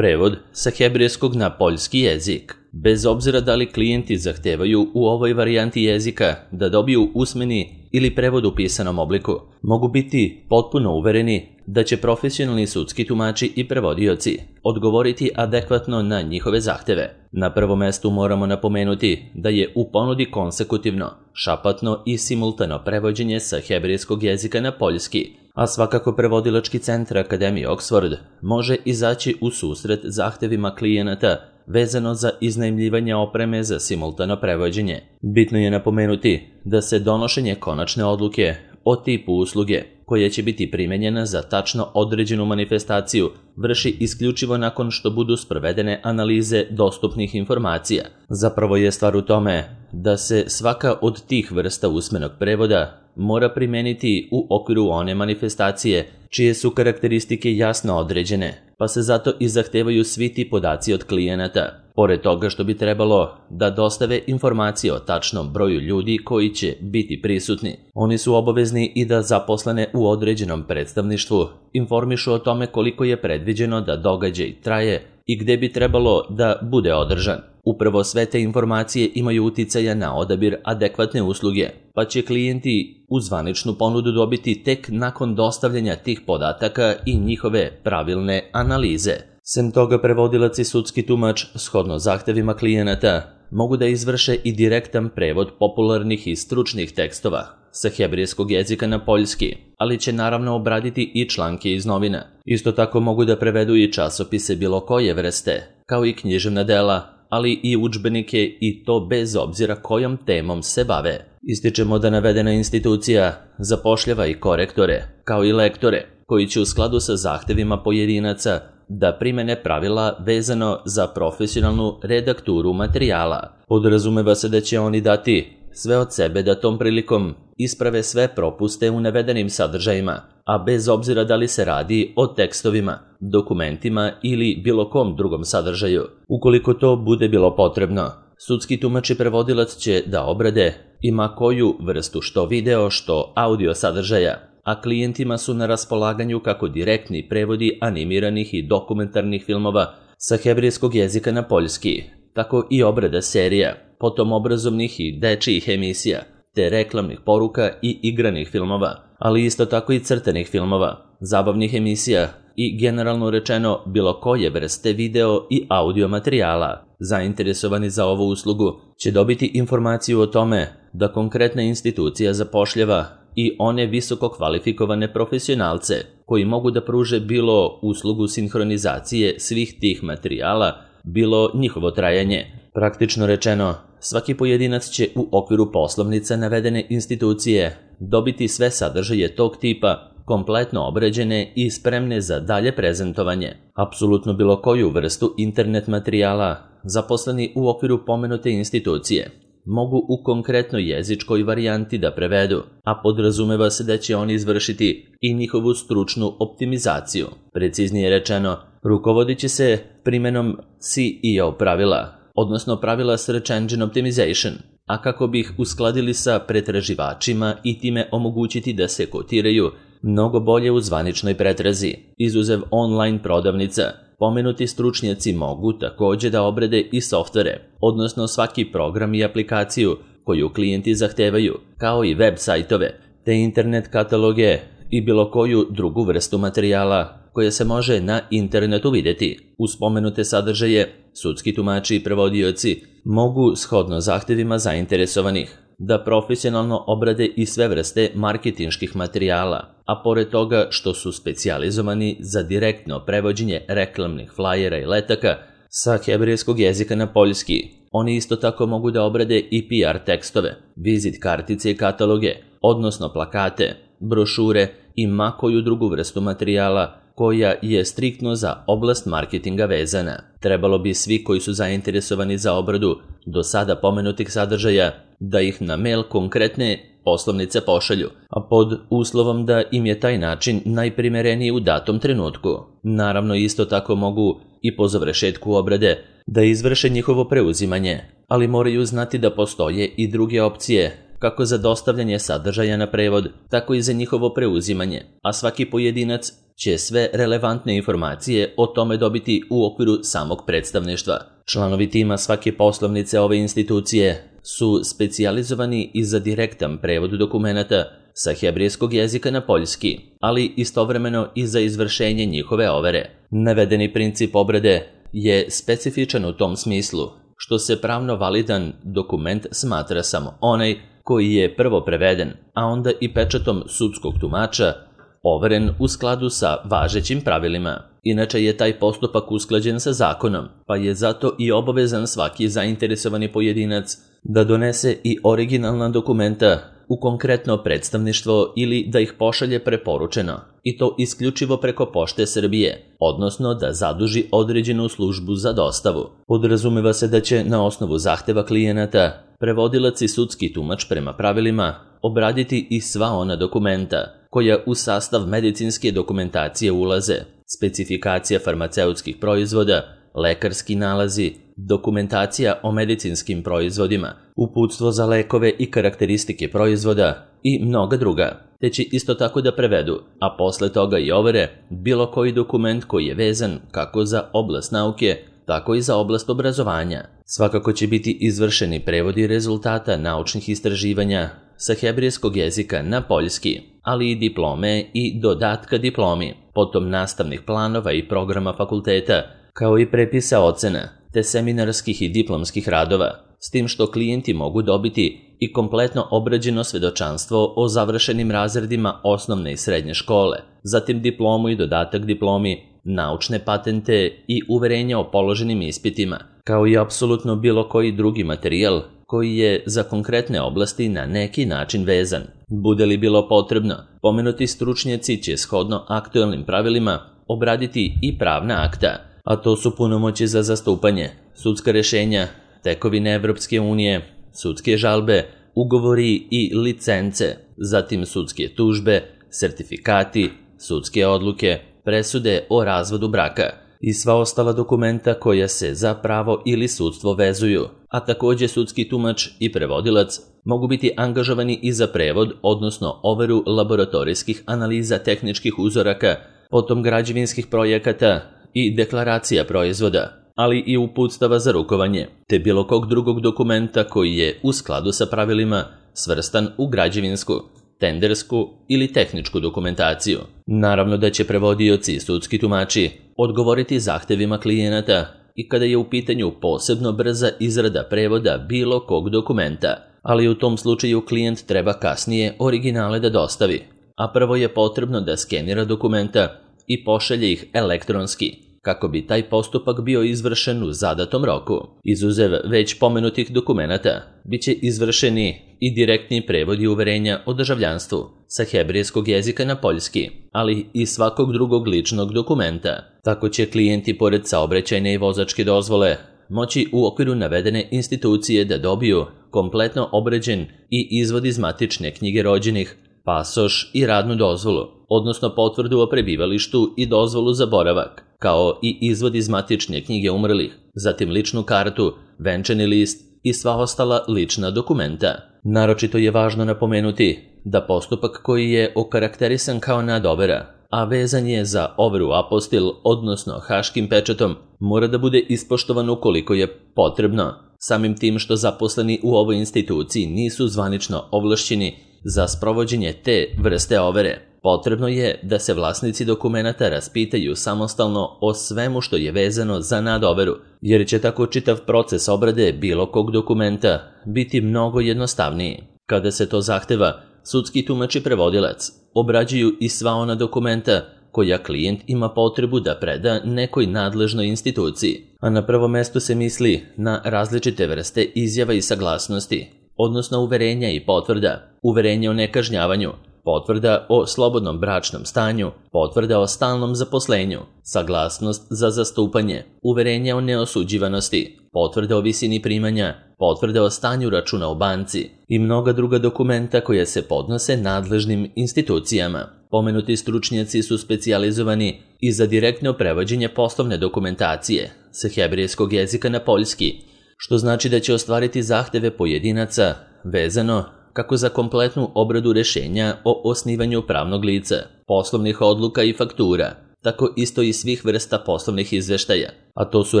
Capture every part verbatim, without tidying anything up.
Prevod sa hebrejskog na poljski jezik. Bez obzira da li klijenti zahtevaju u ovoj varijanti jezika da dobiju usmeni ili prevod u pisanom obliku, mogu biti potpuno uvereni da će profesionalni sudski tumači i prevodioci odgovoriti adekvatno na njihove zahteve. Na prvom mestu moramo napomenuti da je u ponudi konsekutivno, šapatno i simultano prevođenje sa hebrejskog jezika na poljski, a svakako prevodilački centar Akademije Oxford može izaći u susret zahtevima klijenata vezano za iznajmljivanje opreme za simultano prevođenje. Bitno je napomenuti da se donošenje konačne odluke o tipu usluge koja će biti primenjena za tačno određenu manifestaciju vrši isključivo nakon što budu sprovedene analize dostupnih informacija. Zapravo je stvar u tome da se svaka od tih vrsta usmenog prevoda mora primeniti u okviru one manifestacije čije su karakteristike jasno određene, pa se zato i zahtevaju svi ti podaci od klijenata. Pored toga što bi trebalo da dostave informacije o tačnom broju ljudi koji će biti prisutni, oni su obavezni i da zaposlene u određenom predstavništvu informišu o tome koliko je predviđeno da događaj traje i gde bi trebalo da bude održan. Upravo sve te informacije imaju uticaja na odabir adekvatne usluge, pa će klijenti u zvaničnu ponudu dobiti tek nakon dostavljanja tih podataka i njihove pravilne analize. Sem toga, prevodilac i sudski tumač, shodno zahtevima klijenata, mogu da izvrše i direktan prevod popularnih i stručnih tekstova sa hebrejskog jezika na poljski, ali će naravno obraditi i članke iz novina. Isto tako mogu da prevedu i časopise bilo koje vrste, kao i književna dela, ali i udžbenike, i to bez obzira kojom temom se bave. Ističemo da navedena institucija zapošljava i korektore, kao i lektore, koji će u skladu sa zahtevima pojedinaca da primene pravila vezano za profesionalnu redakturu materijala. Podrazumeva se da će oni dati sve od sebe da tom prilikom isprave sve propuste u navedenim sadržajima, a bez obzira da li se radi o tekstovima, dokumentima ili bilo kom drugom sadržaju. Ukoliko to bude bilo potrebno, sudski tumač i prevodilac će da obrade ima koju vrstu što video, što audio sadržaja, a klijentima su na raspolaganju kako direktni prevodi animiranih i dokumentarnih filmova sa hebrejskog jezika na poljski, tako i obrada serija, potom obrazovnih i dečijih emisija, te reklamnih poruka i igranih filmova, ali isto tako i crtanih filmova, zabavnih emisija i generalno rečeno bilo koje vrste video i audio materijala. Zainteresovani za ovu uslugu će dobiti informaciju o tome da konkretna institucija zapošljava i one visoko kvalifikovane profesionalce koji mogu da pruže bilo uslugu sinhronizacije svih tih materijala, bilo njihovo trajanje. Praktično rečeno, svaki pojedinac će u okviru poslovnica navedene institucije dobiti sve sadržaje tog tipa kompletno obrađene i spremne za dalje prezentovanje. Apsolutno bilo koju vrstu internet materijala zaposleni u okviru pomenute institucije mogu u konkretnoj jezičkoj varijanti da prevedu, a podrazumeva se da će oni izvršiti i njihovu stručnu optimizaciju. Preciznije rečeno, rukovodit će se primenom C E O pravila, odnosno pravila Search Engine Optimization, a kako bi ih uskladili sa pretraživačima i time omogućiti da se kotiraju mnogo bolje u zvaničnoj pretrazi. Izuzev online prodavnica, pomenuti stručnjaci mogu takođe da obrade i softvere, odnosno svaki program i aplikaciju koju klijenti zahtevaju, kao i web sajtove, te internet kataloge i bilo koju drugu vrstu materijala koja se može na internetu videti. Uz pomenute sadržaje, sudski tumači i prevodioci mogu, shodno zahtevima zainteresovanih, da profesionalno obrade i sve vrste marketinških materijala, a pored toga što su specijalizovani za direktno prevođenje reklamnih flajera i letaka sa hebrejskog jezika na poljski, oni isto tako mogu da obrade i P R tekstove, vizit kartice i kataloge, odnosno plakate, brošure i ma koju drugu vrstu materijala koja je striktno za oblast marketinga vezana. Trebalo bi svi koji su zainteresovani za obradu do sada pomenutih sadržaja da ih na mail konkretne poslovnice pošalju, a pod uslovom da im je taj način najprimereniji u datom trenutku. Naravno, isto tako mogu i po završetku obrade da izvrše njihovo preuzimanje, ali moraju znati da postoje i druge opcije, kako za dostavljanje sadržaja na prevod, tako i za njihovo preuzimanje, a svaki pojedinac će sve relevantne informacije o tome dobiti u okviru samog predstavništva. Članovi tima svake poslovnice ove institucije su specijalizovani i za direktan prevod dokumenata sa hebrejskog jezika na poljski, ali istovremeno i za izvršenje njihove overe. Navedeni princip obrade je specifičan u tom smislu što se pravno validan dokument smatra samo onaj koji je prvo preveden, a onda i pečatom sudskog tumača overen u skladu sa važećim pravilima. Inače je taj postupak usklađen sa zakonom, pa je zato i obavezan svaki zainteresovani pojedinac da donese i originalna dokumenta u konkretno predstavništvo ili da ih pošalje preporučeno, i to isključivo preko Pošte Srbije, odnosno da zaduži određenu službu za dostavu. Podrazumeva se da će na osnovu zahteva klijenata prevodilac i sudski tumač prema pravilima obraditi i sva ona dokumenta koja u sastav medicinske dokumentacije ulaze: specifikacija farmaceutskih proizvoda, lekarski nalazi, dokumentacija o medicinskim proizvodima, uputstvo za lekove i karakteristike proizvoda i mnoga druga, te će isto tako da prevedu, a posle toga i overe, bilo koji dokument koji je vezan kako za oblast nauke, tako i za oblast obrazovanja. Svakako će biti izvršeni prevodi rezultata naučnih istraživanja sa hebrejskog jezika na poljski, ali i diplome i dodatka diplomi, potom nastavnih planova i programa fakulteta, kao i prepisa ocena, te seminarskih i diplomskih radova, s tim što klijenti mogu dobiti i kompletno obrađeno svedočanstvo o završenim razredima osnovne i srednje škole, zatim diplomu i dodatak diplomi, naučne patente i uverenja o položenim ispitima, kao i apsolutno bilo koji drugi materijal koji je za konkretne oblasti na neki način vezan. Bude li bilo potrebno, pomenuti stručnjaci će shodno aktuelnim pravilima obraditi i pravna akta, a to su punomoći za zastupanje, sudska rešenja, tekovine Evropske unije, sudske žalbe, ugovori i licence, zatim sudske tužbe, sertifikati, sudske odluke, presude o razvodu braka i sva ostala dokumenta koja se za pravo ili sudstvo vezuju, a takođe sudski tumač i prevodilac mogu biti angažovani i za prevod, odnosno overu laboratorijskih analiza tehničkih uzoraka, potom građevinskih projekata i deklaracija proizvoda, ali i uputstava za rukovanje, te bilo kog drugog dokumenta koji je u skladu sa pravilima svrstan u građevinsku, tendersku ili tehničku dokumentaciju. Naravno da će prevodioci i sudski tumači odgovoriti zahtevima klijenata i kada je u pitanju posebno brza izrada prevoda bilo kog dokumenta, ali u tom slučaju klijent treba kasnije originale da dostavi, a prvo je potrebno da skenira dokumenta i pošalje ih elektronski, kako bi taj postupak bio izvršen u zadatom roku. Izuzev već pomenutih dokumenata, bit će izvršeni i direktni prevodi uverenja o državljanstvu sa hebrejskog jezika na poljski, ali i svakog drugog ličnog dokumenta. Tako će klijenti pored saobraćajne i vozačke dozvole moći u okviru navedene institucije da dobiju kompletno obrađen i izvod iz matične knjige rođenih, pasoš i radnu dozvolu, odnosno potvrdu o prebivalištu i dozvolu za boravak, kao i izvod iz matične knjige umrlih, zatim ličnu kartu, venčani list i sva ostala lična dokumenta. Naročito je važno napomenuti da postupak koji je okarakterisan kao nadovera, a vezan je za overu apostil, odnosno haškim pečatom, mora da bude ispoštovan ukoliko je potrebno, samim tim što zaposleni u ovoj instituciji nisu zvanično ovlašćeni za sprovođenje te vrste overe. Potrebno je da se vlasnici dokumenata raspitaju samostalno o svemu što je vezano za nadoveru, jer će tako čitav proces obrade bilo kog dokumenta biti mnogo jednostavniji. Kada se to zahteva, sudski tumač i prevodilac obrađuju i sva ona dokumenta koja klijent ima potrebu da preda nekoj nadležnoj instituciji, a na prvo mesto se misli na različite vrste izjava i saglasnosti, odnosno uverenja i potvrda, uverenja o nekažnjavanju, potvrda o slobodnom bračnom stanju, potvrda o stalnom zaposlenju, saglasnost za zastupanje, uverenja o neosuđivanosti, potvrda o visini primanja, potvrda o stanju računa u banci i mnoga druga dokumenta koja se podnose nadležnim institucijama. Pomenuti stručnjaci su specijalizovani i za direktno prevođenje poslovne dokumentacije sa hebrejskog jezika na poljski, što znači da će ostvariti zahteve pojedinaca vezano kako za kompletnu obradu rešenja o osnivanju pravnog lica, poslovnih odluka i faktura, tako isto i svih vrsta poslovnih izveštaja, a to su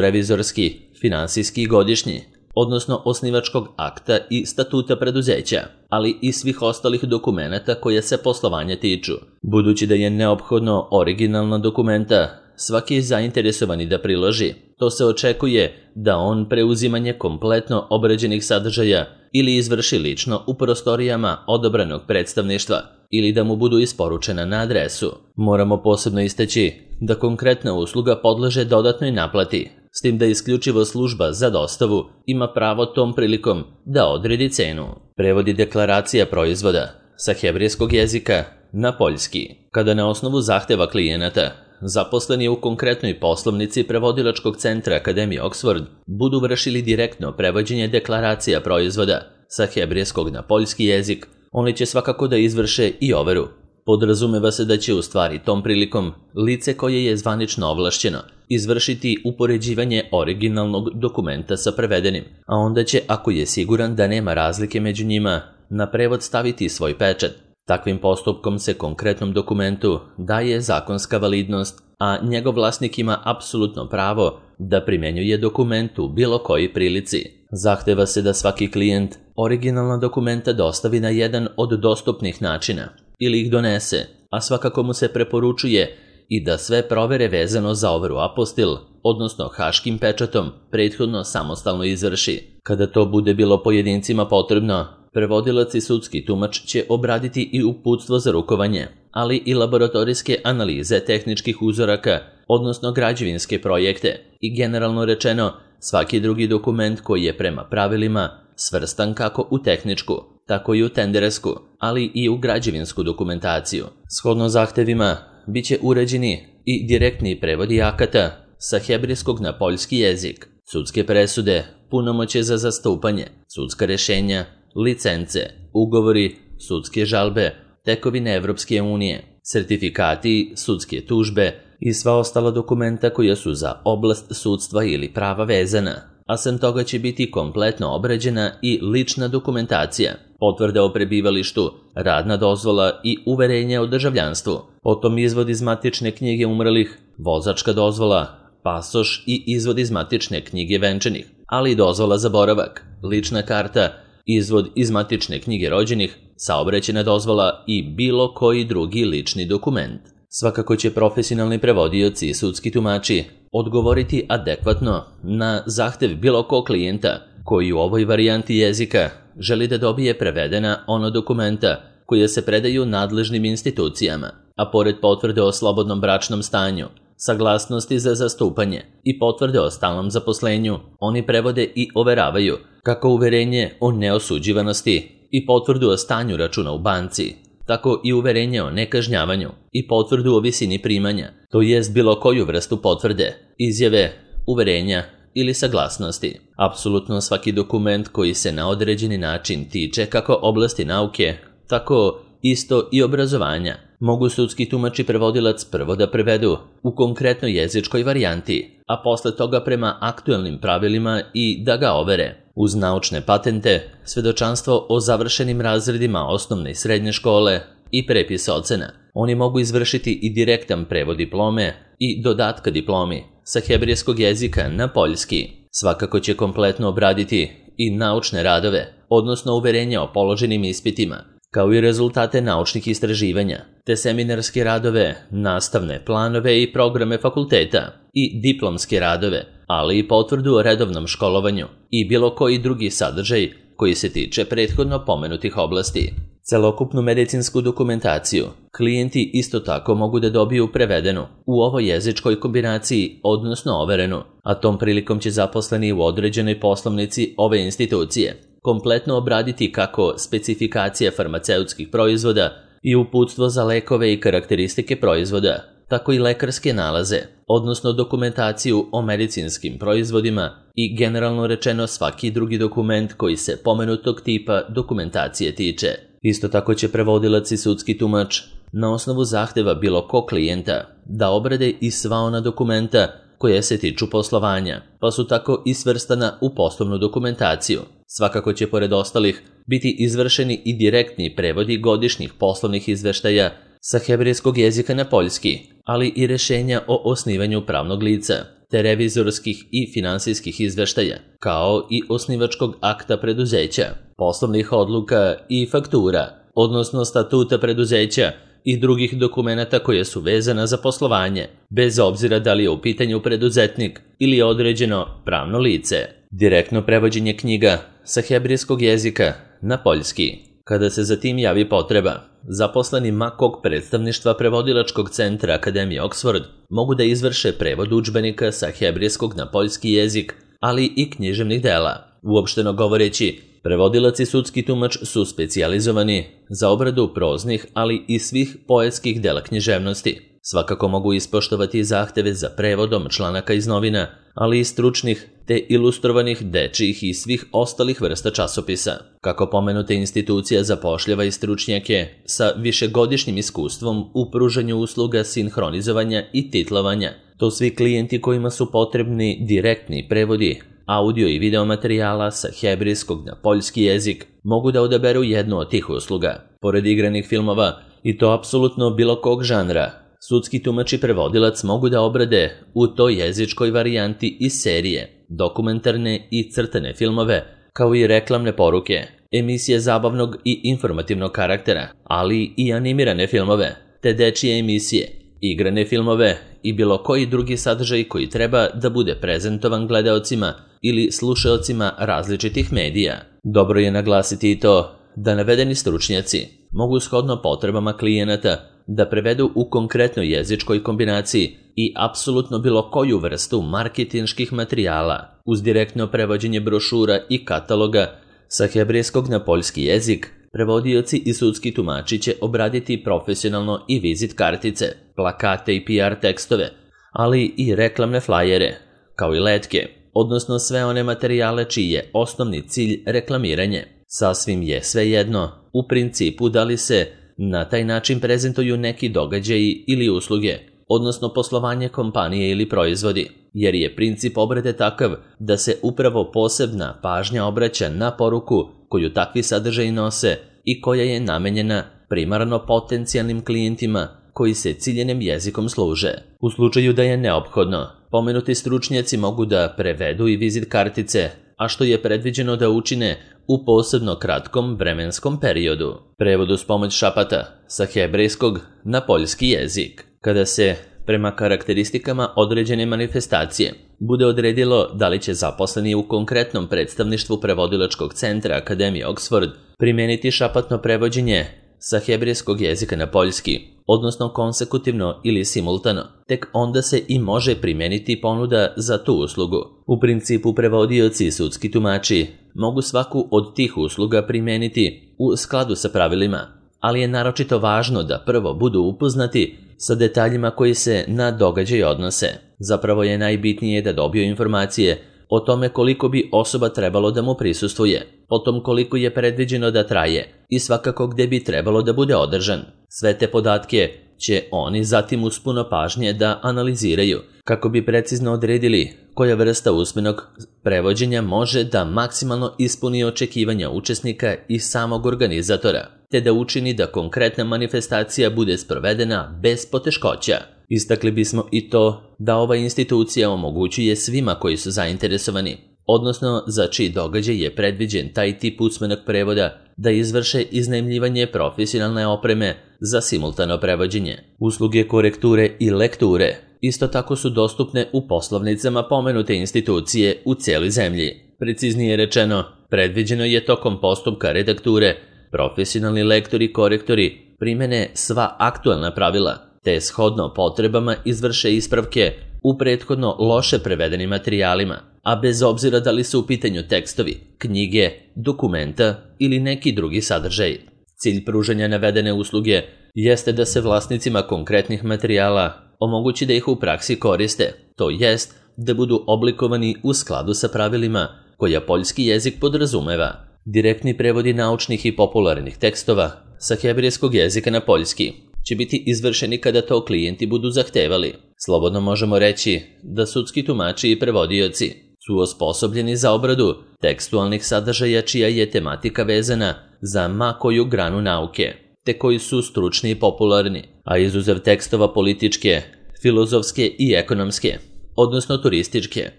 revizorski, finansijski i godišnji, odnosno osnivačkog akta i statuta preduzeća, ali i svih ostalih dokumenata koje se poslovanja tiču. Budući da je neophodno originalna dokumenta svaki zainteresovani da priloži, to se očekuje da on preuzimanje kompletno obrađenih sadržaja ili izvrši lično u prostorijama odabranog predstavništva ili da mu budu isporučena na adresu. Moramo posebno istaći da konkretna usluga podleže dodatnoj naplati, s tim da isključivo služba za dostavu ima pravo tom prilikom da odredi cenu. Prevodi deklaracija proizvoda sa hebrejskog jezika na poljski. Kada na osnovu zahteva klijenata zaposleni u konkretnoj poslovnici prevodilačkog centra Akademije Oxford budu vršili direktno prevođenje deklaracija proizvoda sa hebrejskog na poljski jezik, oni će svakako da izvrše i overu. Podrazumeva se da će u stvari tom prilikom lice koje je zvanično ovlašćeno izvršiti upoređivanje originalnog dokumenta sa prevedenim, a onda će, ako je siguran da nema razlike među njima, na prevod staviti svoj pečat. Takvim postupkom se konkretnom dokumentu daje zakonska validnost, a njegov vlasnik ima apsolutno pravo da primenjuje dokument u bilo koji prilici. Zahteva se da svaki klijent originalna dokumenta dostavi na jedan od dostupnih načina ili ih donese, a svakako mu se preporučuje i da sve provere vezano za overu apostil, odnosno haškim pečatom, prethodno samostalno izvrši. Kada to bude bilo pojedincima potrebno, prevodilac i sudski tumač će obraditi i uputstvo za rukovanje, ali i laboratorijske analize tehničkih uzoraka, odnosno građevinske projekte i generalno rečeno svaki drugi dokument koji je prema pravilima svrstan kako u tehničku, tako i u tendersku, ali i u građevinsku dokumentaciju. Shodno zahtevima bit će uređeni i direktni prevodi akata sa hebrejskog na poljski jezik, sudske presude, punomoćje za zastupanje, sudska rešenja, licence, ugovori, sudske žalbe, tekovine Evropske unije, sertifikati, sudske tužbe i sva ostala dokumenta koja su za oblast sudstva ili prava vezana, a sem toga će biti kompletno obrađena i lična dokumentacija, potvrda o prebivalištu, radna dozvola i uverenje o državljanstvu, potom izvod iz matične knjige umrlih, vozačka dozvola, pasoš i izvod iz matične knjige venčanih, ali i dozvola za boravak, lična karta, izvod iz matične knjige rođenih, saobraćajna dozvola i bilo koji drugi lični dokument. Svakako će profesionalni prevodioci i sudski tumači odgovoriti adekvatno na zahtev bilo kog klijenta koji u ovoj varijanti jezika želi da dobije prevedena ono dokumenta koje se predaju nadležnim institucijama, a pored potvrde o slobodnom bračnom stanju, saglasnosti za zastupanje i potvrde o stalnom zaposlenju, oni prevode i overavaju kako uverenje o neosuđivanosti i potvrdu o stanju računa u banci, tako i uverenje o nekažnjavanju i potvrdu o visini primanja, to jest bilo koju vrstu potvrde, izjave, uverenja ili saglasnosti. Apsolutno svaki dokument koji se na određeni način tiče kako oblasti nauke, tako isto i obrazovanja, mogu sudski tumač i prevodilac prvo da prevedu u konkretnoj jezičkoj varijanti, a posle toga prema aktuelnim pravilima i da ga overe. Uz naučne patente, svedočanstvo o završenim razredima osnovne i srednje škole i prepis ocena, oni mogu izvršiti i direktan prevod diplome i dodatka diplomi sa hebrejskog jezika na poljski. Svakako će kompletno obraditi i naučne radove, odnosno uverenja o položenim ispitima, kao i rezultate naučnih istraživanja, te seminarske radove, nastavne planove i programe fakulteta i diplomske radove, ali i potvrdu o redovnom školovanju i bilo koji drugi sadržaj koji se tiče prethodno pomenutih oblasti. Celokupnu medicinsku dokumentaciju klijenti isto tako mogu da dobiju prevedenu u ovoj jezičkoj kombinaciji, odnosno overenu, a tom prilikom će zaposleni u određenoj poslovnici ove institucije kompletno obraditi kako specifikacije farmaceutskih proizvoda i uputstvo za lekove i karakteristike proizvoda, tako i lekarske nalaze, odnosno dokumentaciju o medicinskim proizvodima i generalno rečeno svaki drugi dokument koji se pomenutog tipa dokumentacije tiče. Isto tako će prevodilac i sudski tumač na osnovu zahteva bilo kog klijenta da obrade i sva ona dokumenta koje se tiču poslovanja, pa su tako i svrstana u poslovnu dokumentaciju. Svakako će pored ostalih biti izvršeni i direktni prevodi godišnjih poslovnih izveštaja sa hebrejskog jezika na poljski, ali i rešenja o osnivanju pravnog lica, te revizorskih i finansijskih izveštaja, kao i osnivačkog akta preduzeća, poslovnih odluka i faktura, odnosno statuta preduzeća i drugih dokumenata koje su vezana za poslovanje, bez obzira da li je u pitanju preduzetnik ili određeno pravno lice. Direktno prevođenje knjiga sa hebrejskog jezika na poljski. Kada se za tim javi potreba, zaposleni ma kog predstavništva prevodilačkog centra Akademije Oxford mogu da izvrše prevod udžbenika sa hebrejskog na poljski jezik, ali i književnih dela. Uopšteno govoreći, prevodilac i sudski tumač su specijalizovani za obradu proznih, ali i svih poetskih dela književnosti. Svakako mogu ispoštovati zahteve za prevodom članaka iz novina, ali i stručnih te ilustrovanih dečijih i svih ostalih vrsta časopisa. Kako pomenuta institucija zapošljava i stručnjake sa višegodišnjim iskustvom u pružanju usluga sinhronizovanja i titlovanja, to svi klijenti kojima su potrebni direktni prevodi audio i video materijala sa hebrejskog na poljski jezik mogu da odaberu jednu od tih usluga. Pored igranih filmova, i to apsolutno bilo kog žanra, sudski tumač i prevodilac mogu da obrade u toj jezičkoj varijanti i serije, dokumentarne i crtane filmove, kao i reklamne poruke, emisije zabavnog i informativnog karaktera, ali i animirane filmove, te dečije emisije, igrane filmove i bilo koji drugi sadržaj koji treba da bude prezentovan gledaocima ili slušaocima različitih medija. Dobro je naglasiti i to da navedeni stručnjaci mogu shodno potrebama klijenata da prevedu u konkretnoj jezičkoj kombinaciji i apsolutno bilo koju vrstu marketinških materijala. Uz direktno prevođenje brošura i kataloga sa hebrejskog na poljski jezik, prevodioci i sudski tumači će obraditi profesionalno i vizit kartice, plakate i P R tekstove, ali i reklamne flajere, kao i letke, odnosno sve one materijale čiji je osnovni cilj reklamiranje. Sasvim je svejedno, u principu da li se na taj način prezentuju neki događaji ili usluge, odnosno poslovanje kompanije ili proizvodi, jer je princip obrade takav da se upravo posebna pažnja obraća na poruku koju takvi sadržaji nose i koja je namenjena primarno potencijalnim klijentima koji se ciljenim jezikom služe. U slučaju da je neophodno, pomenuti stručnjaci mogu da prevedu i vizit kartice, a što je predviđeno da učine u posebno kratkom vremenskom periodu. Prevod uz pomoć šapata sa hebrejskog na poljski jezik. Kada se, prema karakteristikama određene manifestacije, bude odredilo da li će zaposleni u konkretnom predstavništvu prevodilačkog centra Akademije Oxford primeniti šapatno prevođenje sa hebrejskog jezika na poljski, odnosno konsekutivno ili simultano, tek onda se i može primeniti ponuda za tu uslugu. U principu prevodioci i sudski tumači mogu svaku od tih usluga primeniti u skladu sa pravilima, ali je naročito važno da prvo budu upoznati sa detaljima koji se na događaj odnose. Zapravo je najbitnije da dobiju informacije o tome koliko bi osoba trebalo da mu prisustvuje, potom koliko je predviđeno da traje i svakako gde bi trebalo da bude održan. Sve te podatke će oni zatim uz puno pažnje da analiziraju kako bi precizno odredili koja vrsta usmenog prevođenja može da maksimalno ispuni očekivanja učesnika i samog organizatora, te da učini da konkretna manifestacija bude sprovedena bez poteškoća. Istakli bismo i to da ova institucija omogućuje svima koji su zainteresovani, odnosno za čiji događaj je predviđen taj tip usmenog prevoda, da izvrše iznajmljivanje profesionalne opreme za simultano prevođenje. Usluge korekture i lekture isto tako su dostupne u poslovnicama pomenute institucije u cijeloj zemlji. Preciznije rečeno, predviđeno je tokom postupka redakture profesionalni lektori i korektori primene sva aktualna pravila, te shodno potrebama izvrše ispravke u prethodno loše prevedenim materijalima, a bez obzira da li su u pitanju tekstovi, knjige, dokumenta ili neki drugi sadržaj. Cilj pružanja navedene usluge jeste da se vlasnicima konkretnih materijala omogući da ih u praksi koriste, to jest da budu oblikovani u skladu sa pravilima koja poljski jezik podrazumeva. Direktni prevodi naučnih i popularnih tekstova sa hebrejskog jezika na poljski će biti izvršeni kada to klijenti budu zahtevali. Slobodno možemo reći da sudski tumači i prevodioci su osposobljeni za obradu tekstualnih sadržaja čija je tematika vezana za ma koju granu nauke, te koji su stručni i popularni, a izuzev tekstova političke, filozofske i ekonomske, odnosno turističke,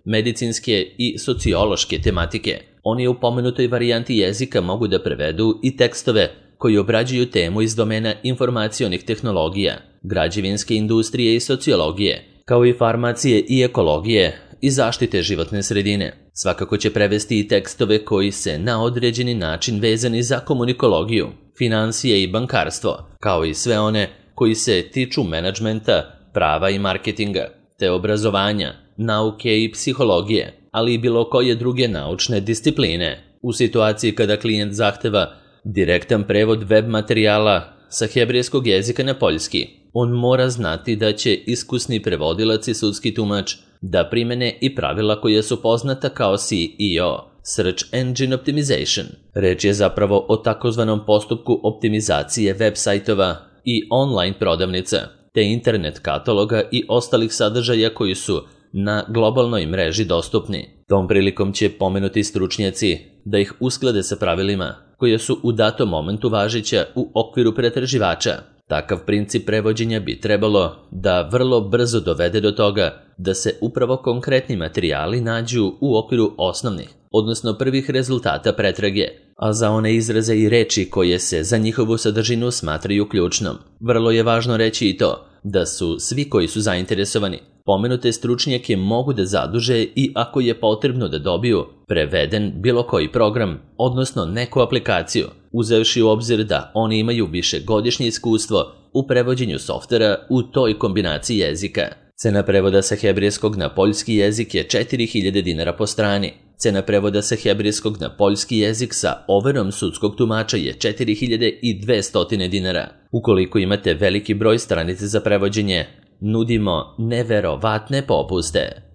medicinske i sociološke tematike. Oni u pomenutoj varijanti jezika mogu da prevedu i tekstove koji obrađuju temu iz domena informacionih tehnologija, građevinske industrije i sociologije, kao i farmacije i ekologije i zaštite životne sredine. Svakako će prevesti i tekstove koji se na određeni način vezani za komunikologiju, finansije i bankarstvo, kao i sve one koji se tiču menadžmenta, prava i marketinga, te obrazovanja, nauke i psihologije, ali i bilo koje druge naučne discipline. U situaciji kada klijent zahteva direktan prevod web materijala sa hebrejskog jezika na poljski, on mora znati da će iskusni prevodilac i sudski tumač da primene i pravila koje su poznata kao S E O, Search Engine Optimization. Reč je zapravo o takozvanom postupku optimizacije web sajtova i online prodavnica, te internet kataloga i ostalih sadržaja koji su na globalnoj mreži dostupni. Tom prilikom će pomenuti stručnjaci da ih usklade sa pravilima koje su u datom momentu važeća u okviru pretraživača. Takav princip prevođenja bi trebalo da vrlo brzo dovede do toga da se upravo konkretni materijali nađu u okviru osnovnih, odnosno prvih rezultata pretrage, a za one izraze i reči koje se za njihovu sadržinu smatraju ključnom. Vrlo je važno reći i to da su svi koji su zainteresovani pomenute stručnjake mogu da zaduže i ako je potrebno da dobiju preveden bilo koji program, odnosno neku aplikaciju, uzevši u obzir da oni imaju višegodišnje iskustvo u prevođenju softvera u toj kombinaciji jezika. Cena prevoda sa hebrejskog na poljski jezik je četiri hiljade dinara po strani. Cena prevoda sa hebrejskog na poljski jezik sa overom sudskog tumača je četiri hiljade dvesta dinara. Ukoliko imate veliki broj stranica za prevođenje, nudimo neverovatne popuste.